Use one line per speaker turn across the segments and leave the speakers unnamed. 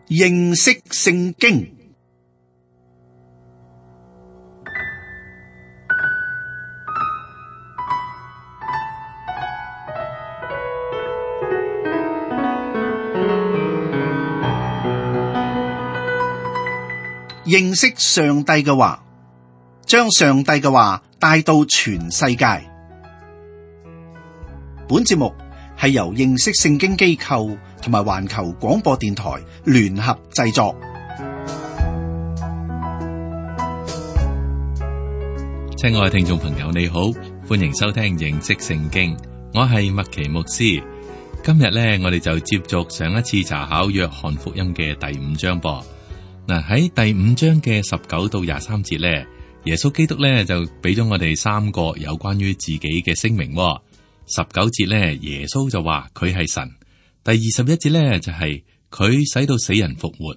認識聖經。認識上帝嘅話，將上帝嘅話帶到全世界。本節目係由認識聖經機構同埋環球廣播電台聯合製作。
親愛嘅聽眾朋友，你好，歡迎收聽認識聖經。我係麥奇牧師。今日呢，我哋就接續上一次查考約翰福音嘅第5章噃。嗱，喺第5章嘅19到23節呢，耶穌基督呢就俾咗我哋3個有關於自己嘅聲明。19節呢，耶穌就話佢係神。第21節呢，就係佢使到死人復活。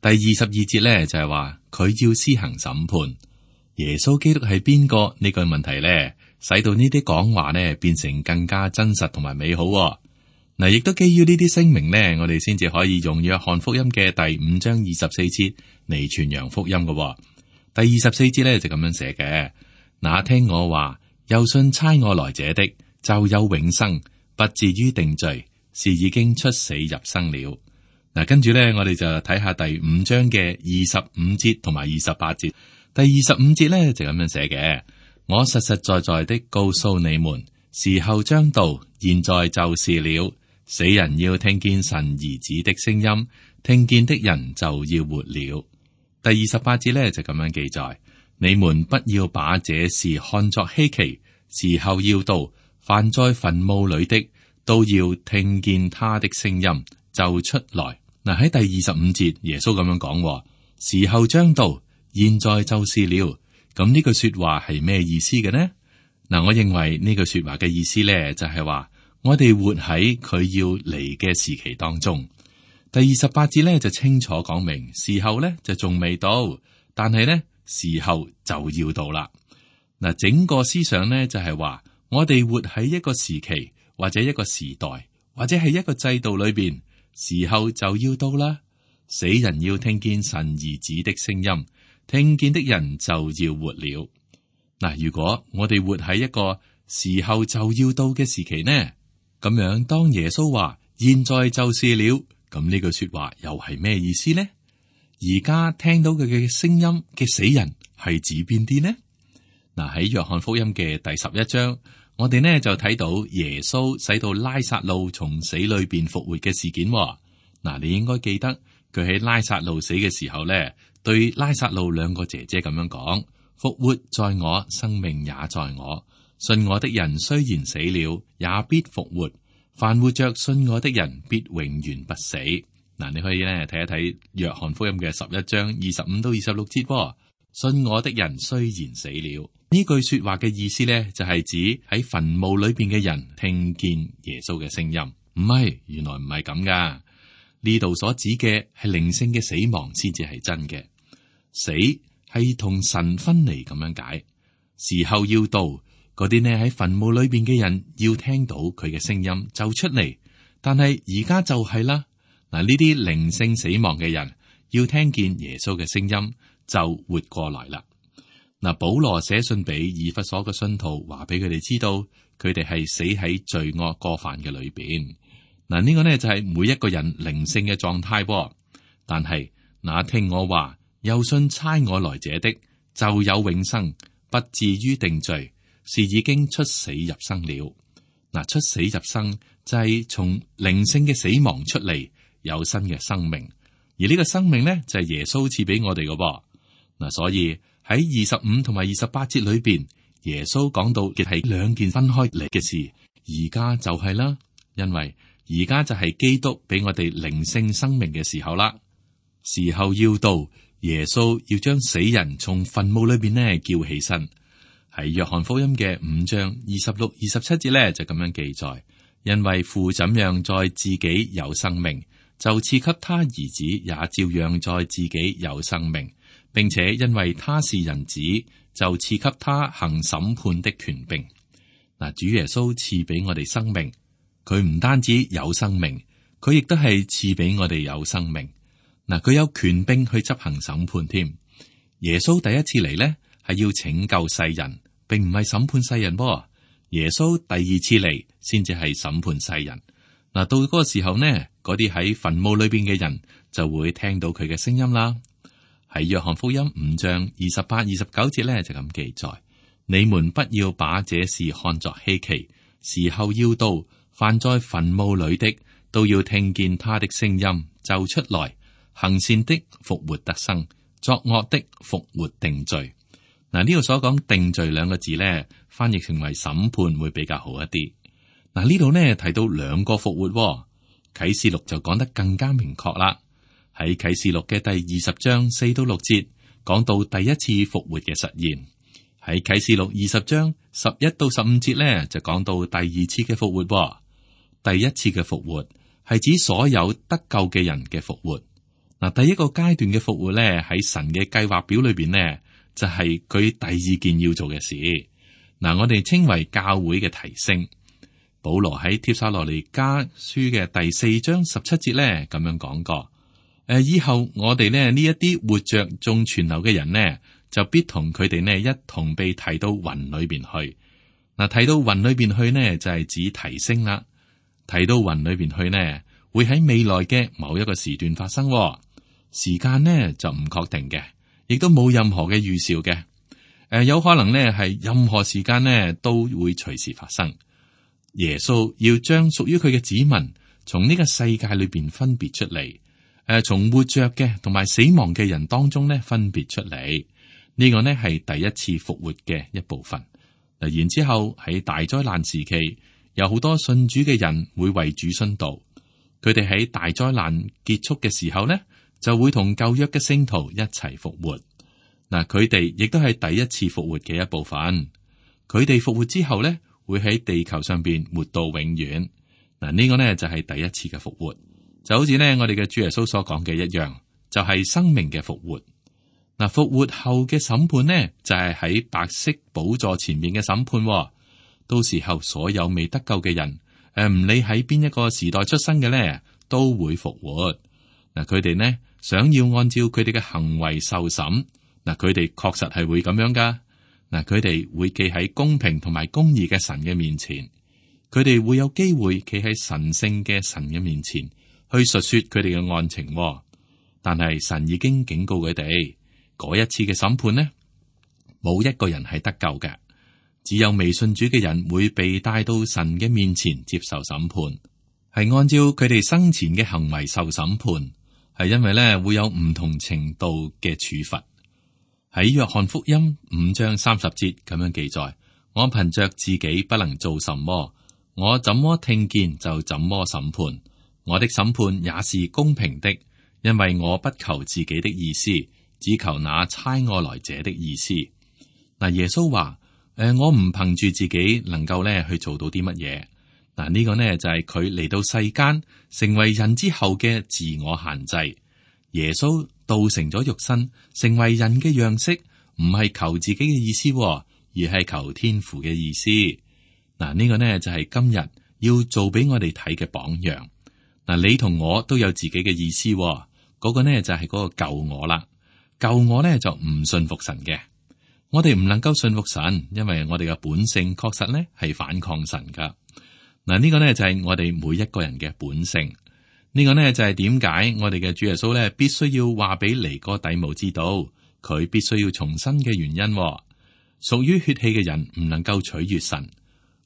第22節呢，就係話佢要施行審判。耶穌基督係邊個呢個問題呢，使到呢啲講話呢變成更加真實同埋美好。嗱，亦都基於呢啲聲明呢，我哋先至可以用約翰福音嘅第5章24節嚟傳揚福音嘅。第24節呢，就咁樣寫嘅：那聽我話又信差我來者的，就有永生，不至於定罪，是已經出死入生了。嗱，跟住呢，我哋就睇下第5章嘅25節同埋28節。第25節呢，就咁樣寫嘅：我實實在在的告訴你們，時候將到，現在就是了。死人要聽見神兒子的聲音，聽見的人就要活了。第28節呢，就咁樣記載：你們不要把這事看作稀奇，時候要到，凡在墳墓裏的都要聽見他的聲音就出來。嗱，喺第25節耶穌咁樣講：時候將到，現在就是了。咁呢句說話係咩意思嘅呢？嗱，我認為呢句說話嘅意思呢，就係話我哋活喺佢要嚟嘅時期當中。第28節呢，就清楚講明，時候呢就仲未到，但係呢時候就要到啦。嗱，整個思想呢，就係話我哋活喺一個時期或者一個時代或者係一個制度裏邊，時候就要到啦。死人要聽見神兒子的聲音，聽見的人就要活了。嗱，如果我哋活喺一個時候就要到嘅時期呢，咁樣當耶穌話現在就是了，咁呢句說話又係咩意思呢？而家聽到佢嘅聲音嘅死人係指邊啲呢？嗱，喺約翰福音嘅第11章，我哋呢就睇到耶穌使到拉撒路從死裏邊復活嘅事件。嗱，你應該記得佢喺拉撒路死嘅時候呢，對拉撒路2個姐姐咁樣講：復活在我，生命也在我。信我的人雖然死了，也必復活；凡活着信我的人，必永遠不死。嗱，你可以咧睇一睇約翰福音嘅11章25到26節。信我的人雖然死了，呢句說話嘅意思呢，就係指喺墳墓裏邊嘅人聽見耶穌嘅聲音。唔係，原來唔係咁噶。呢度所指嘅係靈性嘅死亡先至係真嘅。死係同神分離咁樣解。時候要到，嗰啲呢喺墳墓裏邊嘅人要聽到佢嘅聲音就出嚟，但係而家就係啦。嗱，呢啲靈性死亡嘅人要聽見耶穌嘅聲音就活過來啦。嗱，保羅寫信俾以弗所嘅信徒，話俾佢哋知道，佢哋係死喺罪惡過犯嘅裏邊。嗱，呢個呢就係每一個人靈性嘅狀態噃。但係那聽我話又信差我來者的，就有永生，不至於定罪，是已經出死入生了。嗱，出死入生就係從靈性嘅死亡出嚟，有新嘅生命。而呢個生命呢，就係耶穌賜俾我哋嘅噃。嗱，所以喺25同埋28節裏邊，耶穌講到嘅係2件分開嚟嘅事。而家就係啦，因為而家就係基督俾我哋靈性生命嘅時候啦。時候要到，耶穌要將死人從墳墓裏邊呢叫起身。喺約翰福音嘅5章26、27節呢，就咁樣記載：因為父怎樣在自己有生命，就賜給他兒子也照樣在自己有生命，並且因為他是人子，就賜給他行審判的權柄。嗱，主耶穌賜俾我哋生命，佢唔單止有生命，佢亦都係賜俾我哋有生命。嗱，佢有權柄去執行審判添。耶穌第一次嚟呢，係要拯救世人，並唔係審判世人噃。耶穌第二次嚟先至係審判世人。嗱，到嗰個時候呢，嗰啲喺墳墓裏邊嘅人就會聽到佢嘅聲音啦。喺約翰福音5章28、29節呢，就咁記載：你們不要把這事看作稀奇，時候要到，凡在墳墓裏的都要聽見他的聲音，就出來，行善的復活得生，作惡的復活定罪。嗱，呢度所講定罪兩個字呢，翻譯成為審判會比較好一啲。嗱，呢度呢提到兩個復活，啟示錄就講得更加明確啦。喺啟示錄嘅第20章4到6節講到第一次復活嘅實現。喺啟示錄20章11到15節呢，就講到第二次嘅復活。第一次嘅復活係指所有得救嘅人嘅復活。嗱，第一個階段嘅復活呢，喺神嘅計劃表裏邊呢，就係佢第二件要做嘅事。嗱，我哋稱為教會嘅提升。保羅喺帖撒羅尼迦書嘅第4章17節呢，咁樣講過：以後我哋呢一啲活着仲存留嘅人呢，就必同佢哋呢一同被提到雲裏邊去。嗱，提到雲裏邊去呢，就係指提升啦。提到雲裏邊去呢，會喺未來嘅某一個時段發生。時間呢就唔確定嘅，亦都冇任何嘅預兆嘅。有可能呢係任何時間呢都會隨時發生。耶穌要將屬於佢嘅子民從呢個世界裏邊分別出嚟，從活着嘅同埋死亡嘅人當中呢分別出嚟。呢個呢係第一次復活嘅一部分。嗱，然之後喺大災難時期，有好多信主嘅人會為主殉道。佢哋喺大災難結束嘅時候呢，就會同舊約嘅聖徒一齊復活。嗱，佢哋亦都係第一次復活嘅一部分。佢哋復活之後呢，會喺地球上邊活到永遠。嗱，呢個呢就係第一次嘅復活，就好似呢我哋嘅主耶穌所講嘅一樣，就係生命嘅復活。嗱，復活後嘅審判呢，就係喺白色寶座前面嘅審判。到時候所有未得救嘅人，唔理喺邊一個時代出生嘅呢，都會復活。嗱，佢哋呢想要按照佢哋嘅行為受審。嗱，佢哋確實係會咁樣噶。嗱，佢哋會企喺公平同埋公義嘅神嘅面前，佢哋會有機會企喺神聖嘅神嘅面前去述說佢哋嘅案情。但係神已經警告佢哋，嗰一次嘅審判呢，冇一個人係得救嘅，只有未信主嘅人會被帶到神嘅面前接受審判，係按照佢哋生前嘅行為受審判，係因為咧會有唔同程度嘅處罰。喺約翰福音5章30節咁樣記載：我憑着自己不能做什麼，我怎麼聽見就怎麼審判，我的審判也是公平的，因為我不求自己的意思，只求那差我來者的意思。嗱，耶穌話：我唔憑住自己能夠咧去做到啲乜嘢。嗱，呢個呢就係佢嚟到世間成為人之後嘅自我限制。耶穌道成咗肉身，成為人嘅樣式，唔係求自己嘅意思，而係求天父嘅意思。嗱，呢個呢就係今日要做俾我哋睇嘅榜樣。嗱，你同我都有自己嘅意思，嗰個呢就係嗰個舊我啦。舊我呢就唔信服神嘅，我哋唔能夠信服神，因為我哋嘅本性確實呢係反抗神噶。嗱，呢個呢就係我哋每一個人嘅本性。呢個呢就係點解我哋嘅主耶穌呢必須要話俾尼哥底母知道，佢必須要重生嘅原因。屬於血氣嘅人唔能夠取悅神。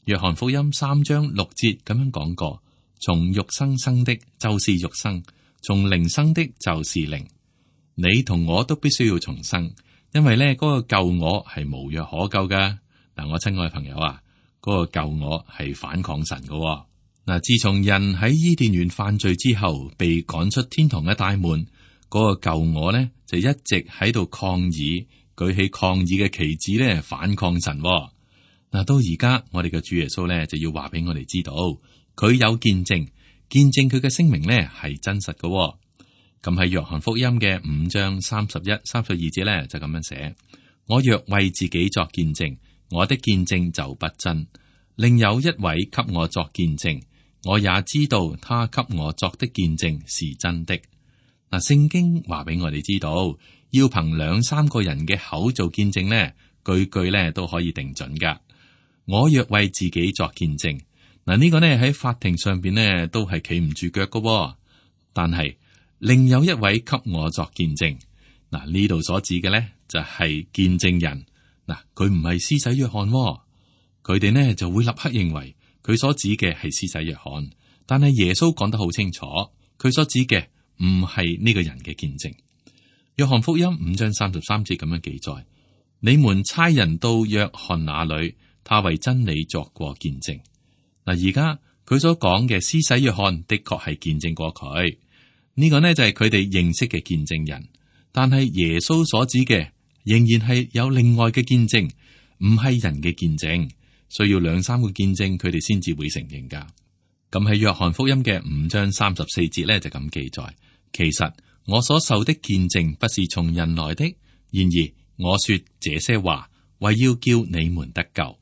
約翰福音3章6節咁樣講過：從肉生生的就是肉生，從靈生的就是靈。你同我都必須要重生，因為呢嗰個舊我係無藥可救噶。嗱，我親愛朋友啊，嗰個舊我係反抗神噶。嗱，自從人喺伊甸園犯罪之後，被趕出天堂嘅大門，嗰個舊我呢就一直喺度抗議，舉起抗議嘅旗幟咧，反抗神。嗱，到而家我哋嘅主耶穌咧就要話俾我哋知道，佢有見證佢嘅聲明咧係真實嘅。咁喺約翰福音嘅5章31、32節咧就咁樣寫：我若為自己作見證，我的見證就不真；另有一位給我作見證，我也知道他給我作的見證是真的。嗱，聖經話俾我哋知道，要憑2-3個人嘅口做見證呢，句句呢都可以定準噶。我若為自己作見證，嗱，呢個呢喺法庭上邊呢都係企唔住腳噶。但係另有一位給我作見證，嗱，呢度所指嘅呢就係見證人。嗱，佢唔係施洗約翰，佢哋呢就會立刻認為佢所指嘅係施洗約翰，但係耶穌講得好清楚，佢所指嘅唔係呢個人嘅見證。約翰福音5章33節咁樣記載：你們差人到約翰那裏，他為真理作過見證。嗱，而家佢所講嘅施洗約翰的確係見證過佢，呢個呢就係佢哋認識嘅見證人。但係耶穌所指嘅仍然係有另外嘅見證，唔係人嘅見證，需要2-3個見證佢哋先至會承認噶。咁喺約翰福音嘅5章34節呢，就咁記載：其實我所受的見證不是從人來的，然而我說這些話為要叫你們得救。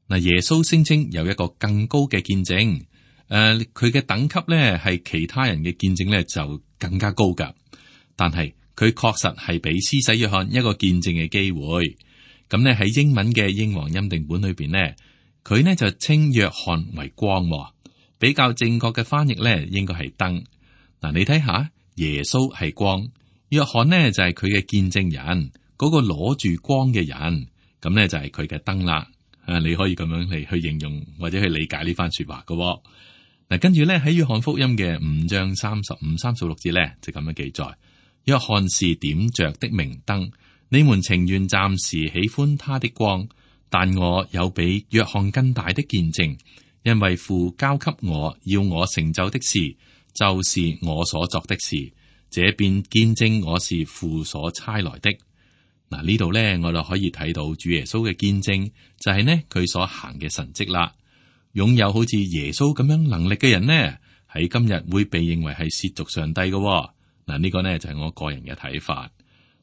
嗱，耶穌聲稱有一個更高嘅見證，佢嘅等級呢係其他人嘅見證呢就更加高噶。但係佢確實係俾施洗約翰一個見證嘅機會。咁呢喺英文嘅英皇欽定本裏邊呢，佢呢就稱約翰為光，比較正確嘅翻譯呢應該係燈。嗱，你睇下，耶穌係光，約翰呢就係佢嘅見證人，嗰個攞住光嘅人，咁呢就係佢嘅燈啦。你可以咁樣嚟去形容或者去理解呢番說話嘅。嗱，跟住呢喺約翰福音嘅5章35、36節呢就咁樣記載：約翰是點着的明燈，你們情願暫時喜歡他的光，但我有比約翰更大的見證，因為父交給我要我成就的事，就是我所作的事，這便見證我是父所差來的。嗱，呢度呢，我哋可以睇到主耶穌嘅見證，就係呢佢所行嘅神蹟啦。擁有好似耶穌咁樣能力嘅人呢，喺今日會被認為係褻瀆上帝嘅。嗱，呢個呢就係我個人嘅睇法。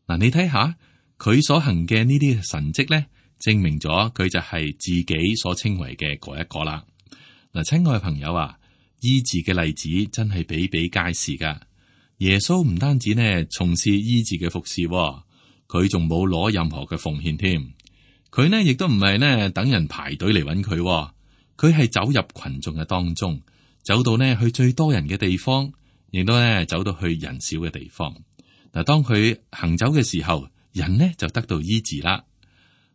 嗱，你睇下佢所行嘅呢啲神蹟呢，證明咗佢就係自己所稱為嘅嗰一個啦。嗱，親愛嘅朋友啊，醫治嘅例子真係比比皆是噶。耶穌唔單止呢從事醫治嘅服侍，佢仲冇攞任何嘅奉獻添。佢呢亦都唔係呢等人排隊嚟揾佢，佢係走入群眾嘅當中，走到呢去最多人嘅地方，亦都呢走到去人少嘅地方。嗱，當佢行走嘅時候，人呢就得到醫治啦。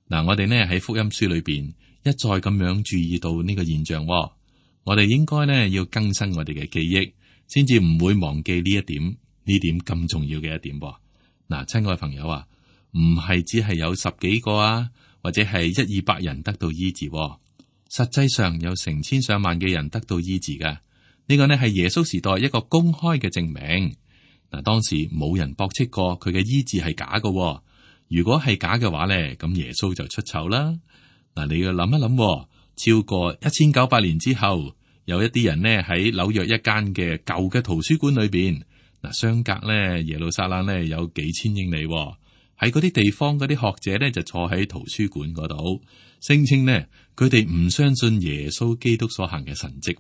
嗱，我哋呢喺福音書裏邊一再咁樣注意到呢個現象，我哋應該呢要更新我哋嘅記憶，先至唔會忘記呢一點，呢點咁重要嘅一點。嗱，親愛嘅朋友啊，唔係只係有10幾個啊，或者係100-200人得到醫治，實際上有成千上萬嘅人得到醫治噶。呢個呢係耶穌時代一個公開嘅證明。嗱，當時冇人駁斥過佢嘅醫治係假嘅。如果係假嘅話呢，咁耶穌就出醜啦。嗱，你要諗一諗，超過1900年之後，有一啲人呢喺紐約一間嘅舊嘅圖書館裏邊，嗱，相隔呢耶路撒冷呢有幾千英里。喺嗰啲地方，嗰啲學者呢就坐喺圖書館嗰度，聲稱呢佢哋唔相信耶穌基督所行嘅神蹟。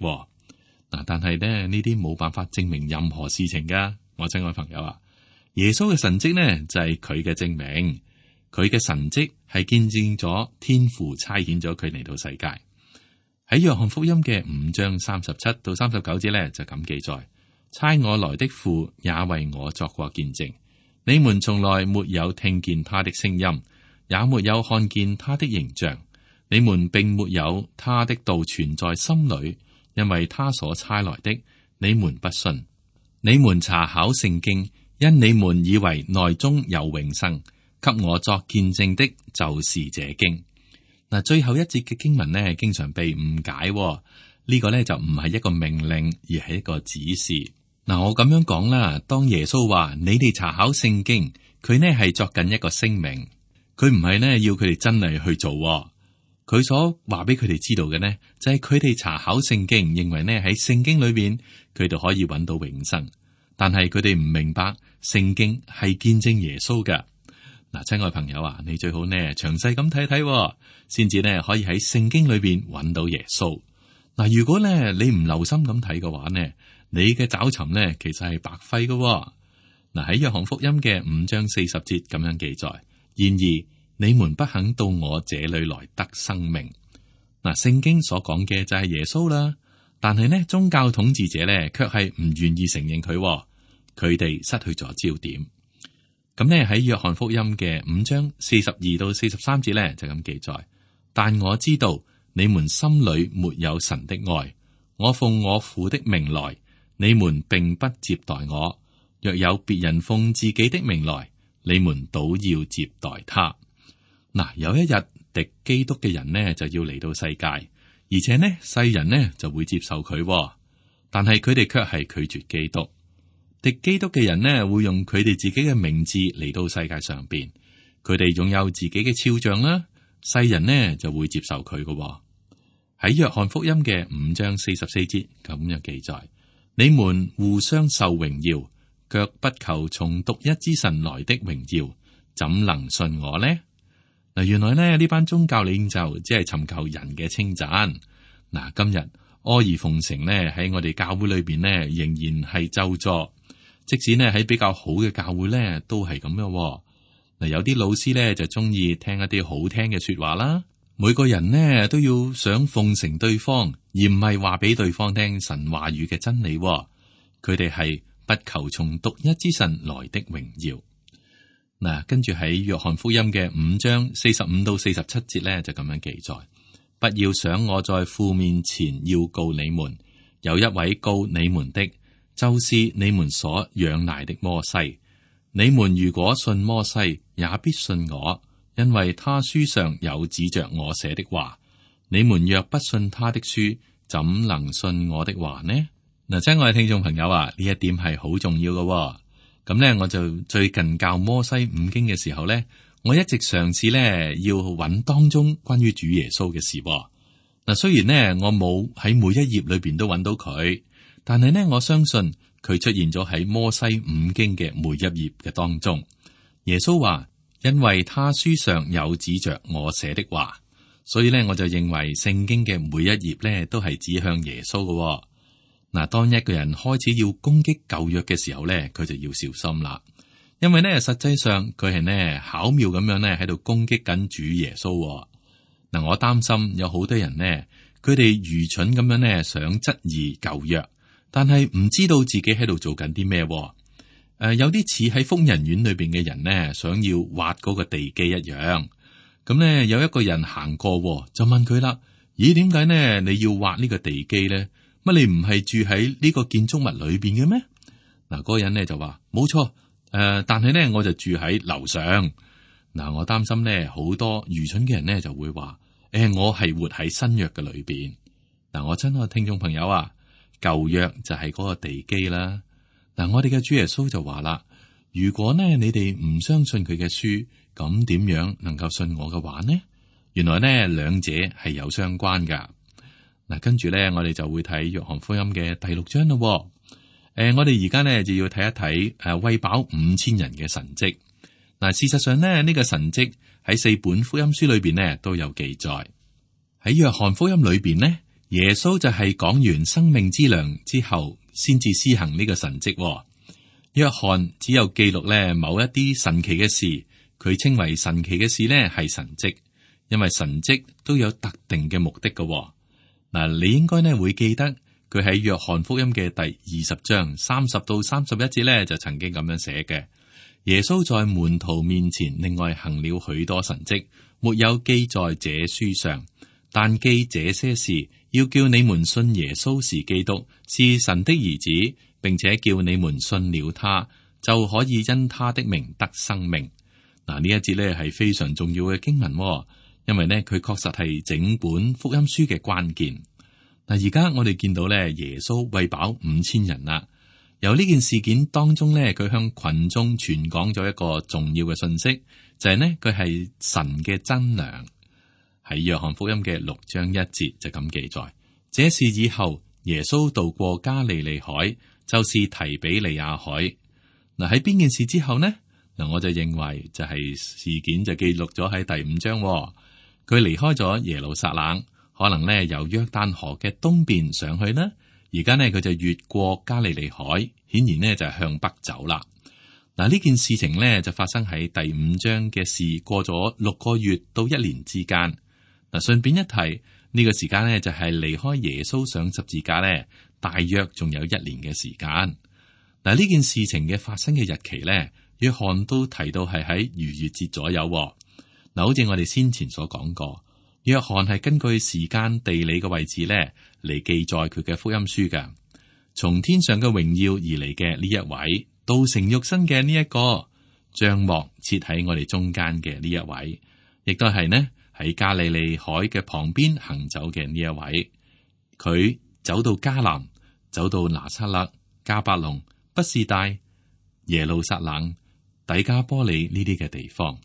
嗱，但係呢啲冇辦法證明任何事情噶。我親愛朋友啊，耶穌嘅神蹟呢就係佢嘅證明，佢嘅神蹟係見證咗天父差遣咗佢嚟到世界。喺約翰福音嘅5章37到39節呢就咁記載：差我來的父也為我作過見證。你們從來沒有聽見他的聲音，也沒有看見他的形象。你們並沒有他的道存在心裏，因為他所差來的，你們不信。你們查考聖經，因你們以為內中有永生。給我作見證的，就是這經。嗱，最後一節嘅經文呢，經常被誤解。呢個呢就唔係一個命令，而係一個指示。嗱，我咁樣講啦，當耶穌話你哋查考聖經，佢呢係作緊一個聲明，佢唔係呢要佢哋真係去做。佢所話俾佢哋知道嘅呢，就係佢哋查考聖經，認為呢喺聖經裏邊佢哋可以揾到永生，但係佢哋唔明白聖經係見證耶穌㗎。嗱，親愛朋友啊，你最好呢詳細咁睇睇，先至呢可以喺聖經裏邊揾到耶穌。嗱，如果呢你唔留心咁睇嘅話呢，你嘅找尋呢其實係白費㗎。嗱，喺約翰福音嘅5章40節咁樣記載，然而你們不肯到我這裏來得生命。嗱，聖經所講嘅就係耶穌啦，但係呢，宗教統治者呢，卻係唔願意承認佢，佢哋失去咗焦點。咁呢，喺約翰福音嘅5章42到43節呢，就咁記載，但我知道你們心裏沒有神的愛，我奉我父的名來，你們並不接待我。若有別人奉自己的名來，你們倒要接待他。嗱，有一日敵基督嘅人呢就要嚟到世界，而且呢世人呢就會接受佢，但係佢哋卻係拒絕基督。敵基督嘅人呢會用佢哋自己嘅名字嚟到世界上邊，佢哋擁有自己嘅肖像啦，世人呢就會接受佢嘅。喺約翰福音嘅5章44節咁樣記載，你們互相受榮耀，卻不求從獨一之神來的榮耀，怎能信我呢？嗱，原來呢班宗教領袖只係尋求人嘅稱讚。嗱，今日阿諛奉承呢喺我哋教會裏邊呢仍然係咒詛，即使呢喺比較好嘅教會呢都係咁樣。嗱，有啲老師呢就中意聽一啲好聽嘅說話啦，每個人呢都要想奉承對方，而唔係話俾對方聽神話語嘅真理。佢哋係不求從獨一之神來的榮耀。嗱，跟住喺約翰福音嘅5章45到47節咧，就咁樣記載：不要想我在父面前要告你們，有一位告你們的，就是你們所仰賴的摩西。你們如果信摩西，也必信我，因為他書上有指着我寫的話。你們若不信他的書，怎能信我的話呢？嗱，親愛嘅聽眾朋友啊，呢一點係好重要嘅。咁呢，我就最近教摩西五經嘅時候呢，我一直嘗試呢要揾當中關於主耶穌嘅事。嗱，雖然呢我冇喺每一頁裏邊都揾到佢，但係呢我相信佢出現咗喺摩西五經嘅每一頁嘅當中。耶穌話：因為他書上有指着我寫的話，所以呢我就認為聖經嘅每一頁呢都係指向耶穌嘅。嗱，當一個人開始要攻擊舊約嘅時候咧，佢就要小心啦，因為咧實際上佢係咧巧妙咁樣咧喺度攻擊緊主耶穌。嗱，我擔心有好多人咧，佢哋愚蠢咁樣咧想質疑舊約，但係唔知道自己喺度做緊啲咩。有啲似喺瘋人院裏邊嘅人咧，想要挖嗰個地基一樣。咁咧有一個人行過，就問佢啦：咦，點解呢你要挖呢個地基咧？乜你唔係住喺呢個建築物裏邊嘅咩？嗱，嗰個人咧就話冇錯，但係咧我就住喺樓上。嗱，我擔心咧好多愚蠢嘅人咧就會話，我係活喺新約嘅裏邊。嗱，我親愛嘅聽眾朋友啊，舊約就係嗰個地基啦。嗱，我哋嘅主耶穌就話啦，如果呢你哋唔相信佢嘅書，咁點樣能夠信我嘅話呢？原來呢兩者係有相關噶。嗱，跟住咧，我哋就會睇約翰福音嘅第6章咯。我哋而家咧就要睇一睇餵飽5000人嘅神蹟。嗱，事實上咧呢個神蹟喺4本福音書裏邊呢都有記載。喺約翰福音裏邊呢，耶穌就係講完生命之糧之後，先至施行呢個神蹟。約翰只有記錄咧某一啲神奇嘅事，佢稱為神奇嘅事呢係神蹟，因為神蹟都有特定嘅目的嘅。嗱，你應該呢會記得佢喺約翰福音嘅第20章30到31節呢，就曾經咁樣寫嘅：耶穌在門徒面前另外行了許多神蹟，沒有記在這書上，但記這些事，要叫你們信耶穌是基督，是神的兒子，並且叫你們信了他，就可以因他的名得生命。嗱，呢一節呢係非常重要嘅經文。因為呢，佢確實係整本福音書嘅關鍵。嗱，而家我哋見到咧，耶穌餵飽5000人啦。由呢件事件當中咧，佢向群眾傳講咗一個重要嘅信息，就係呢，佢係神嘅真糧。喺約翰福音嘅6章1節就咁記載：這事以後，耶穌渡過加利利海，就是提比利亞海。嗱，喺邊件事之後呢？嗱，我就認為就係事件就記錄咗喺第5章。佢離開咗耶路撒冷，可能咧由約旦河嘅東邊上去啦。而家呢，佢就越過加利利海，顯然呢就係向北走啦。嗱，呢件事情呢，就發生喺第5章嘅事過咗6個月到1年之間。嗱，順便一提，呢個時間呢，就係離開耶穌上十字架呢，大約仲有1年嘅時間。嗱，呢件事情嘅發生嘅日期呢，約翰都提到係喺逾越節左右。嗱，好似我哋先前所講過，約翰係根據時間地理嘅位置呢嚟記載佢嘅福音書嘅。從天上嘅榮耀而嚟嘅呢一位，道成肉身嘅呢一個，帳幕設喺我哋中間嘅呢一位，亦都係呢喺加利利海嘅旁邊行走嘅呢一位。佢走到迦南，走到拿撒勒、迦百農、畢士大、耶路撒冷、底加波利呢啲嘅地方。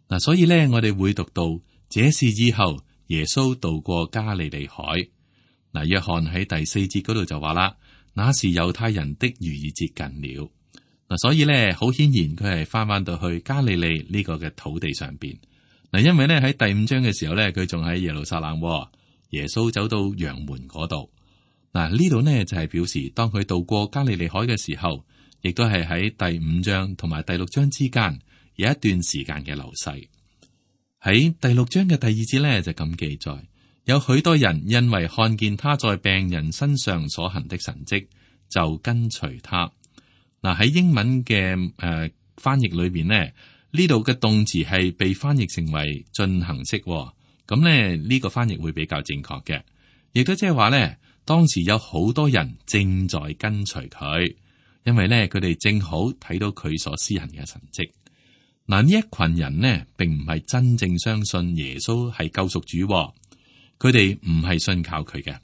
嗱，所以咧，我哋會讀到這事以後，耶穌渡過加利利海。嗱，約翰喺第4節嗰度就話啦，那時猶太人的逾越節近了。嗱，所以咧，好顯然佢係翻到去加利利呢個嘅土地上邊。嗱，因為咧喺第5章嘅時候咧，佢仲喺耶路撒冷，耶穌走到羊門嗰度。嗱，呢度呢就係表示，當佢渡過加利利海嘅時候，亦都係喺第5章同埋第6章之間。有一段時間嘅流逝。喺第6章嘅第2節呢，就咁記載，有許多人因為看見他在病人身上所行的神蹟，就跟隨他。嗱，喺英文嘅翻譯裏邊呢，呢度嘅動詞係被翻譯成為進行式，咁呢，呢個翻譯會比較正確嘅，亦都即係話呢，當時有好多人正在跟隨佢，因為呢，佢哋正好睇到佢所施行嘅神蹟。嗱，呢一群人呢，並唔係真正相信耶穌係救贖主，佢哋唔係信靠佢嘅，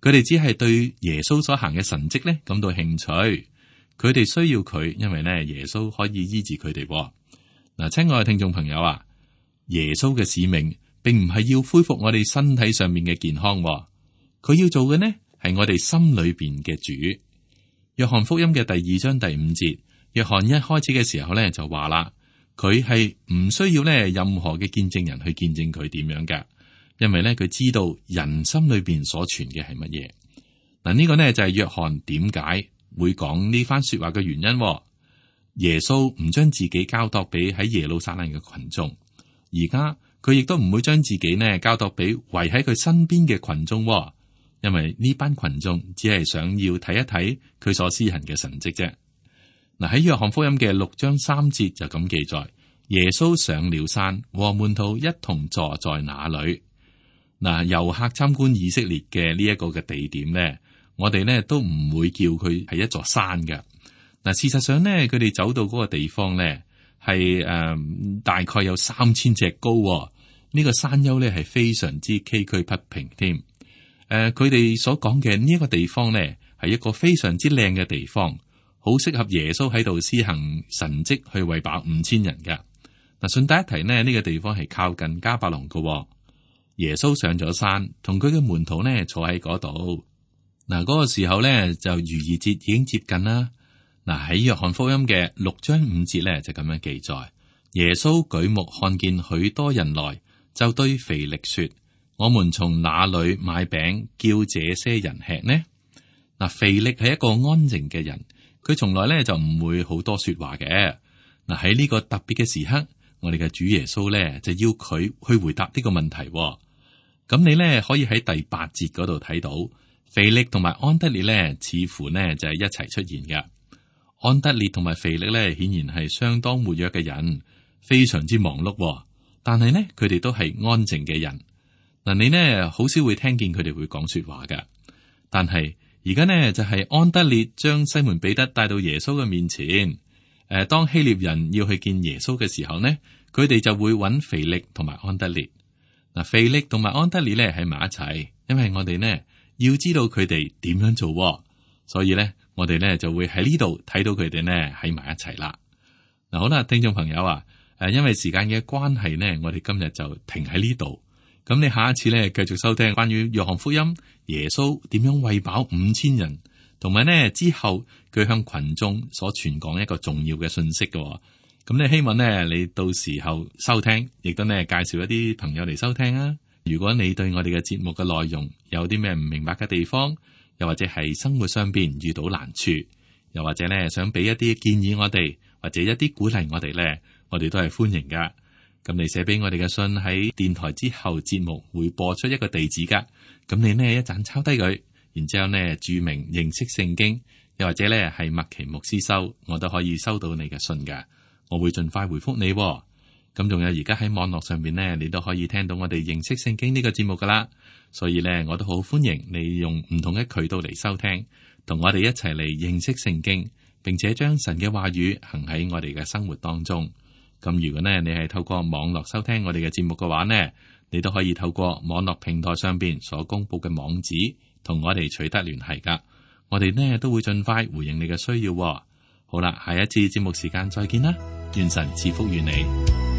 佢哋只係對耶穌所行嘅神蹟呢感到興趣，佢哋需要佢，因為呢耶穌可以醫治佢哋。嗱，親愛嘅聽眾朋友啊，耶穌嘅使命並唔係要恢復我哋身體上面嘅健康，佢要做嘅呢係我哋心裏邊嘅主。約翰福音嘅第2章第5節，約翰一開始嘅時候呢就話啦。佢係唔需要咧任何嘅見證人去見證佢點樣嘅，因為咧佢知道人心裏邊所存嘅係乜嘢。嗱，呢個呢就係約翰點解會講呢番說話嘅原因。耶穌唔將自己交託俾喺耶路撒冷嘅群眾，而家佢亦都唔會將自己呢交託俾圍喺佢身邊嘅群眾，因為呢班群眾只係想要睇一睇佢所施行嘅神蹟啫。嗱，喺約翰福音嘅6章3節就咁記載，耶穌上了山，和門徒一同坐在那裏。嗱，遊客參觀以色列嘅呢一個嘅地點呢，我哋呢都唔會叫佢係一座山嘅。嗱，事實上呢，佢哋走到嗰個地方呢，係大概有3000尺高。呢個山丘呢係非常之崎嶇不平添。佢哋所講嘅呢一個地方呢，係一個非常之靚嘅地方。好適合耶穌喺度施行神蹟去餵飽5000人嘅。嗱，順帶一提呢，呢個地方係靠近迦百農嘅。耶穌上咗山，同佢嘅門徒呢坐喺嗰度。嗱，嗰個時候呢，就逾越節已經接近啦。嗱，喺約翰福音嘅6章5節呢，就咁樣記載，耶穌舉目看見許多人來，就對腓力說：我們從哪裏買餅叫這些人吃呢？嗱，腓力係一個安靜嘅人。佢從來咧就唔會好多說話嘅。嗱，喺呢個特別嘅時刻，我哋嘅主耶穌咧就要佢去回答呢個問題。咁你咧可以喺第8節嗰度睇到，腓力同埋安德烈咧似乎呢就係一齊出現嘅。安德烈同埋腓力咧顯然係相當活躍嘅人，非常之忙碌。但係呢，佢哋都係安靜嘅人。嗱，你呢好少會聽見佢哋會講說話嘅。但係而家呢就係安德烈將西門彼得帶到耶穌嘅面前。當希臘人要去見耶穌嘅時候呢，佢哋就會揾腓力同埋安德烈。嗱，腓力同埋安德烈咧喺埋一齊，因為我哋呢要知道佢哋點樣做，所以呢我哋呢就會喺呢度睇到佢哋呢喺埋一齊啦。嗱，好啦，聽眾朋友啊，因為時間嘅關係呢，我哋今日就停喺呢度。咁你下一次咧，繼續收聽關於約翰福音耶穌點樣餵飽5000人，同埋呢之後佢向群眾所傳講一個重要嘅信息嘅。咁你希望呢，你到時候收聽，亦都呢介紹一啲朋友嚟收聽啊。如果你對我哋嘅節目嘅內容有啲咩唔明白嘅地方，又或者係生活上邊遇到難處，又或者呢想俾一啲建議我哋，或者一啲鼓勵我哋呢，我哋都係歡迎噶。咁你寫俾我哋嘅信喺電台之後，節目會播出一個地址噶。咁你呢一陣抄低佢，然之後呢注明認識聖經，又或者呢係麥奇牧師收，我都可以收到你嘅信噶。我會盡快回覆你。咁仲有而家喺網絡上面呢，你都可以聽到我哋認識聖經呢個節目噶啦。所以呢，我都好歡迎你用唔同嘅渠道嚟收聽，同我哋一齊嚟認識聖經，並且將神嘅話語行喺我哋嘅生活當中。咁如果呢，你係透過網絡收聽我哋嘅節目嘅話呢，你都可以透過網絡平台上邊所公布嘅網址，同我哋取得聯繫噶。我哋呢都會盡快回應你嘅需要。好啦，下一次節目時間再見啦，願神賜福於你。